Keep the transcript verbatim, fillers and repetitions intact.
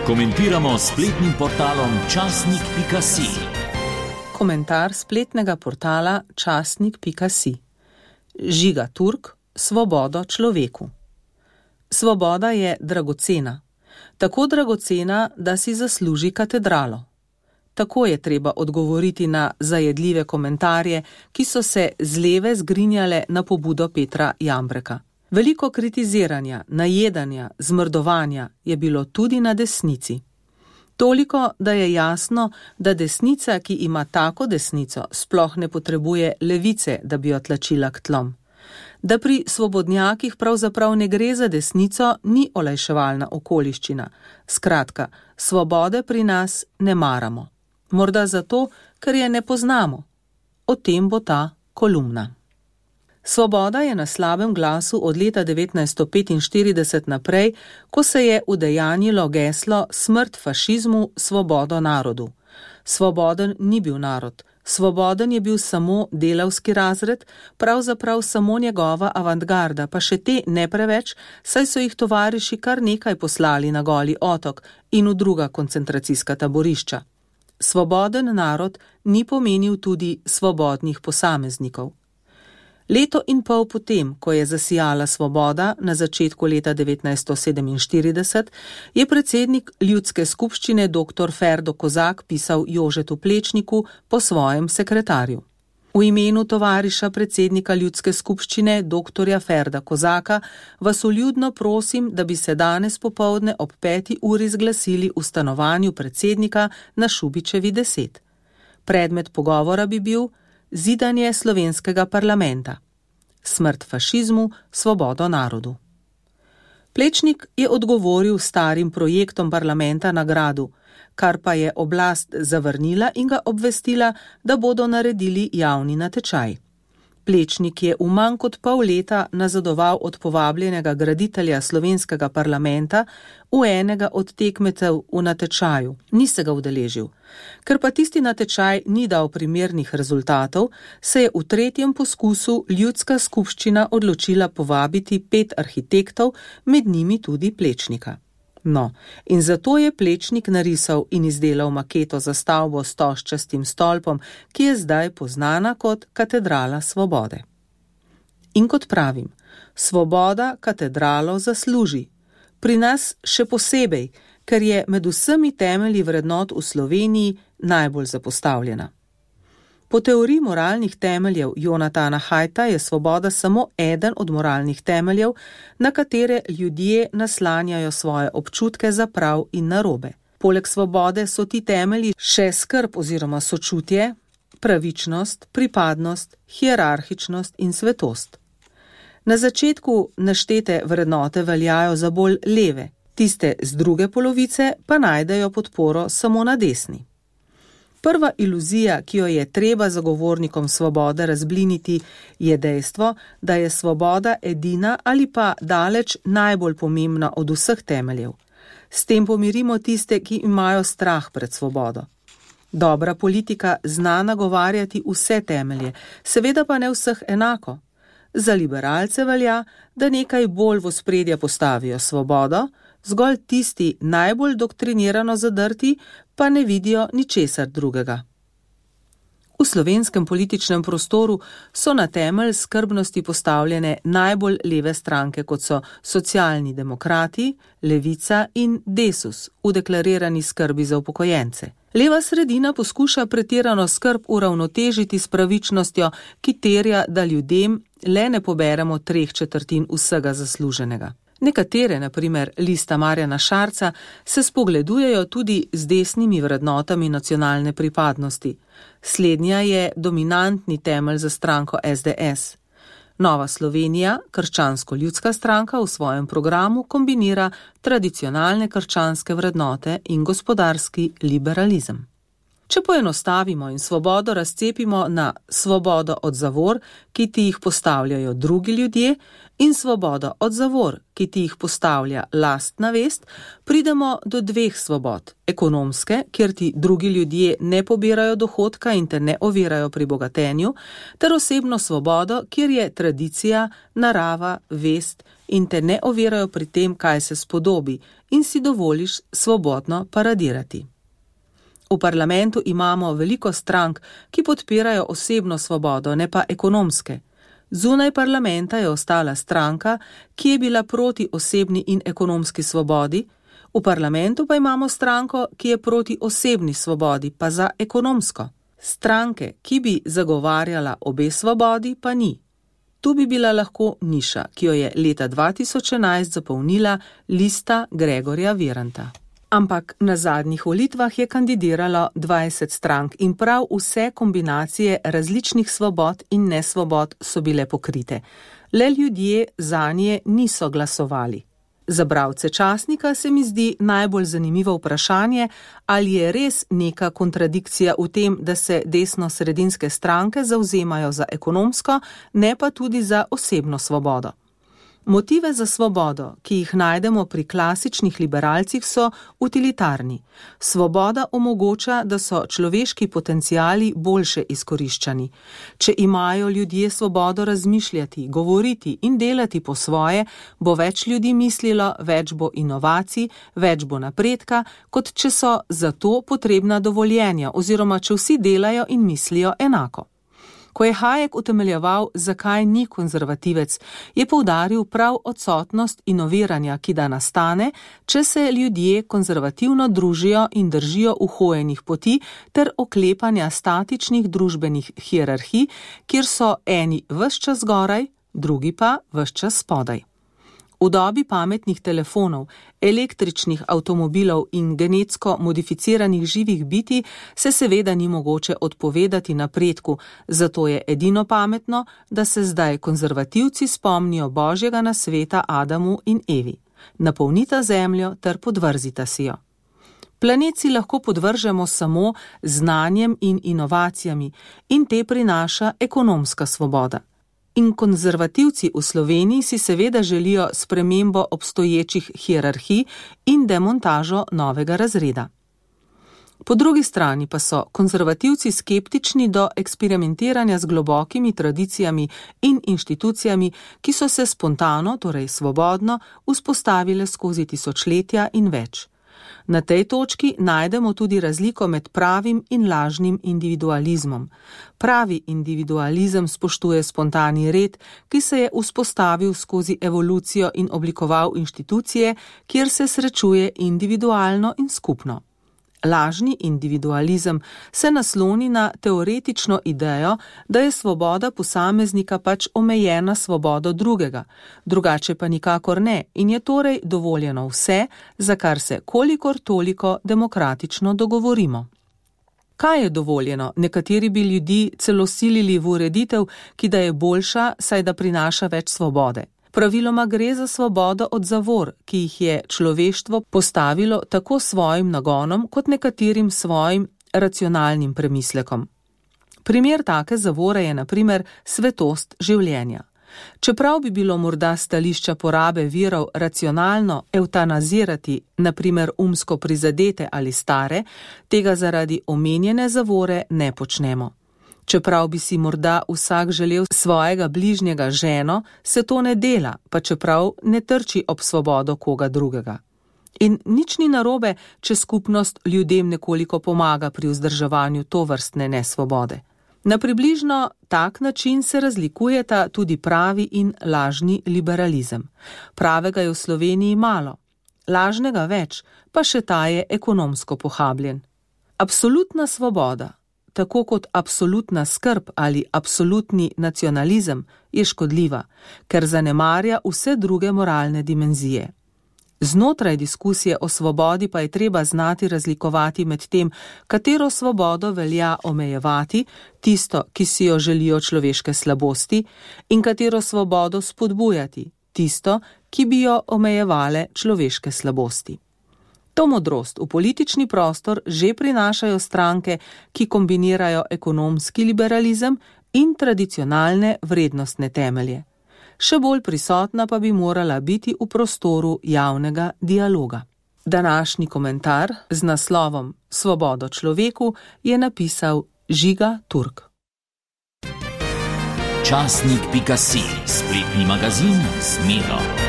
Komentiramo s spletnim portalom časnik pika si. Komentar spletnega portala časnik pika si. Žiga Turk, svobodo človeku. Svoboda je dragocena. Tako dragocena, da si zasluži katedralo. Tako je treba odgovoriti na zajedljive komentarje, ki so se z leve zgrinjale na pobudo Petra Jambreka. Veliko kritiziranja, najedanja, zmrdovanja je bilo tudi na desnici. Toliko, da je jasno, da desnica, ki ima tako desnico, sploh ne potrebuje levice, da bi jo tlačila k tlom. Da pri svobodnjakih pravzaprav ne gre za desnico, ni olajševalna okoliščina. Skratka, svobode pri nas ne maramo. Morda zato, ker je ne poznamo. O tem bo ta kolumna. Svoboda je na slabem glasu od leta devetnajststo petinštirideset naprej, ko se je udejanjilo geslo smrt fašizmu, svobodo narodu. Svoboden ni bil narod, svoboden je bil samo delavski razred, pravzaprav samo njegova avantgarda, pa še te ne preveč, saj so jih tovariši kar nekaj poslali na Goli otok in v druga koncentracijska taborišča. Svoboden narod ni pomenil tudi svobodnih posameznikov. Leto in pol potem, ko je zasijala svoboda na začetku leta devetnajststo sedeminštirideset, je predsednik ljudske skupščine doktor Ferdo Kozak pisal Jožetu Plečniku po svojem sekretarju. V imenu tovariša predsednika ljudske skupščine doktorja Ferda Kozaka vas vljudno prosim, da bi se danes popoldne ob peti uri zglasili v stanovanju predsednika na Šubičevi deset. Predmet pogovora bi bil zidanje slovenskega parlamenta. Smrt fašizmu, svobodo narodu. Plečnik je odgovoril starim projektom parlamenta na gradu, kar pa je oblast zavrnila in ga obvestila, da bodo naredili javni natečaj. Plečnik je v manj kot pol leta nazadoval od povabljenega graditelja slovenskega parlamenta v enega od tekmecev v natečaju. Ni se ga udeležil. Ker pa tisti natečaj ni dal primernih rezultatov, se je v tretjem poskusu ljudska skupščina odločila povabiti pet arhitektov, med njimi tudi Plečnika. No, in zato je Plečnik narisal in izdelal maketo za stavbo s stožčastim stolpom, ki je zdaj poznana kot Katedrala svobode. In kot pravim, svoboda katedralo zasluži. Pri nas še posebej, ker je med vsemi temelji vrednot v Sloveniji najbolj zapostavljena. Po teoriji moralnih temeljev Jonatana Haidta je svoboda samo eden od moralnih temeljev, na katere ljudje naslanjajo svoje občutke za prav in narobe. Poleg svobode so ti temelji še skrb oziroma sočutje, pravičnost, pripadnost, hierarhičnost in svetost. Na začetku naštete vrednote veljajo za bolj leve, tiste z druge polovice pa najdejo podporo samo na desni. Prva iluzija, ki jo je treba zagovornikom svobode razbliniti, je dejstvo, da je svoboda edina ali pa daleč najbolj pomembna od vseh temeljev. S tem pomirimo tiste, ki imajo strah pred svobodo. Dobra politika zna nagovarjati vse temelje, seveda pa ne vseh enako. Za liberalce velja, da nekaj bolj v ospredje postavijo svobodo, zgolj tisti najbolj doktrinirano zadrti pa ne vidijo ničesar drugega. V slovenskem političnem prostoru so na temelj skrbnosti postavljene najbolj leve stranke, kot so Socialni demokrati, Levica in Desus v deklarirani skrbi za upokojence. Leva sredina poskuša pretirano skrb uravnotežiti s pravičnostjo, ki terja, da ljudem le ne poberemo treh četrtin vsega zasluženega. Nekatere, na primer Lista Marjana Šarca, se spogledujejo tudi z desnimi vrednotami nacionalne pripadnosti. Slednja je dominantni temelj za stranko es de es. Nova Slovenija, krščansko-ljudska stranka, v svojem programu kombinira tradicionalne krščanske vrednote in gospodarski liberalizem. Če poenostavimo in svobodo razcepimo na svobodo od zavor, ki ti jih postavljajo drugi ljudje, in svobodo od zavor, ki ti jih postavlja lastna vest, pridemo do dveh svobod. Ekonomske, kjer ti drugi ljudje ne pobirajo dohodka in te ne ovirajo pri bogatenju, ter osebno svobodo, kjer je tradicija, narava, vest in te ne ovirajo pri tem, kaj se spodobi, in si dovoliš svobodno paradirati. V parlamentu imamo veliko strank, ki podpirajo osebno svobodo, ne pa ekonomske. Zunaj parlamenta je ostala stranka, ki je bila proti osebni in ekonomski svobodi, v parlamentu pa imamo stranko, ki je proti osebni svobodi, pa za ekonomsko. Stranke, ki bi zagovarjala obe svobodi, pa ni. Tu bi bila lahko niša, ki jo je leta dva tisoč enajst zapolnila lista Gregorja Viranta. Ampak na zadnjih volitvah je kandidiralo dvajset strank in prav vse kombinacije različnih svobod in nesvobod so bile pokrite. Le ljudje zanje niso glasovali. Za bralce časnika se mi zdi najbolj zanimivo vprašanje, ali je res neka kontradikcija v tem, da se desno-sredinske stranke zavzemajo za ekonomsko, ne pa tudi za osebno svobodo. Motive za svobodo, ki jih najdemo pri klasičnih liberalcih, so utilitarni. Svoboda omogoča, da so človeški potenciali boljše izkoriščani. Če imajo ljudje svobodo razmišljati, govoriti in delati po svoje, bo več ljudi mislilo, več bo inovacij, več bo napredka, kot če so za to potrebna dovoljenja oziroma če vsi delajo in mislijo enako. Ko je Hayek utemeljeval, zakaj ni konzervativec, je poudaril prav odsotnost inoviranja, ki da nastane, če se ljudje konzervativno družijo in držijo uhojenih poti ter oklepanja statičnih družbenih hierarhij, kjer so eni ves čas zgoraj, drugi pa ves čas spodaj. V dobi pametnih telefonov, električnih avtomobilov in genetsko modificiranih živih bitij se seveda ni mogoče odpovedati napredku, zato je edino pametno, da se zdaj konzervativci spomnijo Božjega nasveta Adamu in Evi. Napolnita zemljo ter podvrzita si jo. Planet si lahko podvržemo samo znanjem in inovacijami in te prinaša ekonomska svoboda. In konzervativci v Sloveniji si seveda želijo spremembo obstoječih hierarhij in demontažo novega razreda. Po drugi strani pa so konzervativci skeptični do eksperimentiranja z globokimi tradicijami in inštitucijami, ki so se spontano, torej svobodno, vzpostavile skozi tisočletja in več. Na tej točki najdemo tudi razliko med pravim in lažnim individualizmom. Pravi individualizem spoštuje spontani red, ki se je vzpostavil skozi evolucijo in oblikoval inštitucije, kjer se srečuje individualno in skupno. Lažni individualizem se nasloni na teoretično idejo, da je svoboda posameznika pač omejena svobodo drugega, drugače pa nikakor ne in je torej dovoljeno vse, za kar se kolikor toliko demokratično dogovorimo. Kaj je dovoljeno? Nekateri bi ljudi celo silili v ureditev, ki da je boljša, saj da prinaša več svobode. Praviloma gre za svobodo od zavor, ki jih je človeštvo postavilo tako svojim nagonom kot nekaterim svojim racionalnim premislekom. Primer take zavore je na primer svetost življenja. Čeprav bi bilo morda stališča porabe virov racionalno evtanazirati, na primer umsko prizadete ali stare, tega zaradi omenjene zavore ne počnemo. Čeprav bi si morda vsak želel svojega bližnjega ženo, se to ne dela, pa čeprav ne trči ob svobodo koga drugega. In nič ni narobe, če skupnost ljudem nekoliko pomaga pri vzdrževanju tovrstne nesvobode. Na približno tak način se razlikujeta tudi pravi in lažni liberalizem. Pravega je v Sloveniji malo, lažnega več, pa še ta je ekonomsko pohabljen. Absolutna svoboda, tako kot absolutna skrb ali absolutni nacionalizem, je škodljiva, ker zanemarja vse druge moralne dimenzije. Znotraj diskusije o svobodi pa je treba znati razlikovati med tem, katero svobodo velja omejevati, tisto, ki si jo želijo človeške slabosti, in katero svobodo spodbujati, tisto, ki bi jo omejevale človeške slabosti. To modrost v politični prostor že prinašajo stranke, ki kombinirajo ekonomski liberalizem in tradicionalne vrednostne temelje. Še bolj prisotna pa bi morala biti v prostoru javnega dialoga. Današnji komentar z naslovom Svobodo človeku je napisal Žiga Turk. Časnik pika si, spletni magazin Smelo.